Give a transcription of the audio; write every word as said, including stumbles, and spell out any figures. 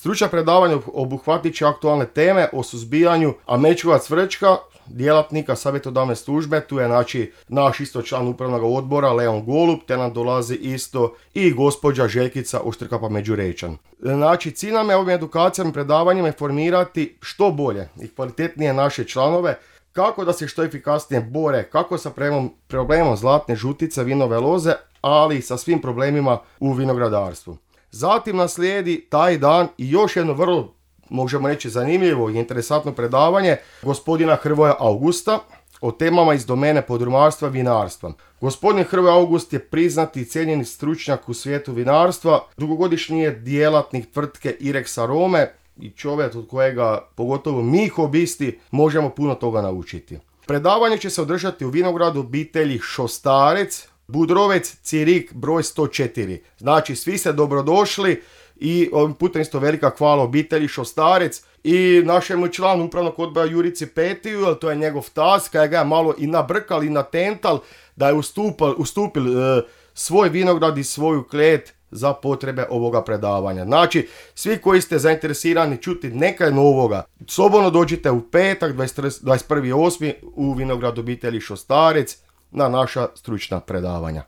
Stručna predavanja obuhvatit će aktualne teme o suzbijanju američkog cvrčka, djelatnika savjetodavne službe, tu je znači naš isto član upravnog odbora Leon Golub, te nam dolazi isto i gospođa Željkica Oštrkapa Međurečan. Znači cilj nam je ovim edukacijama i predavanjima informirati što bolje i kvalitetnije naše članove kako da se što efikasnije bore, kako sa problemom, problemom zlatne žutice, vinove loze, ali i sa svim problemima u vinogradarstvu. Zatim nas slijedi taj dan i još jedno vrlo, možemo reći, zanimljivo i interesantno predavanje gospodina Hrvoja Augusta o temama iz domene podrumarstva i vinarstva. Gospodin Hrvoje August je priznati i cijenjeni stručnjak u svijetu vinarstva, dugogodišnji je djelatnik tvrtke Irex Arome i čovjek od kojega, pogotovo mi hobisti, možemo puno toga naučiti. Predavanje će se održati u vinogradu obitelji Šostarec, Budrovec, Cirik, broj sto četiri. Znači, svi ste dobrodošli i ovim putem isto velika hvala obitelji Šostarec i našemu članu upravnog odbora Jurici Petiju, jer to je njegov tas, kada ga je malo i nabrkal i natental, da je ustupil, ustupil e, svoj vinograd i svoju klet za potrebe ovoga predavanja. Znači, svi koji ste zainteresirani čuti nekaj novoga, slobodno dođite u petak dvadeset prvi osmi u vinograd obitelji Šostarec na naša stručna predavanja.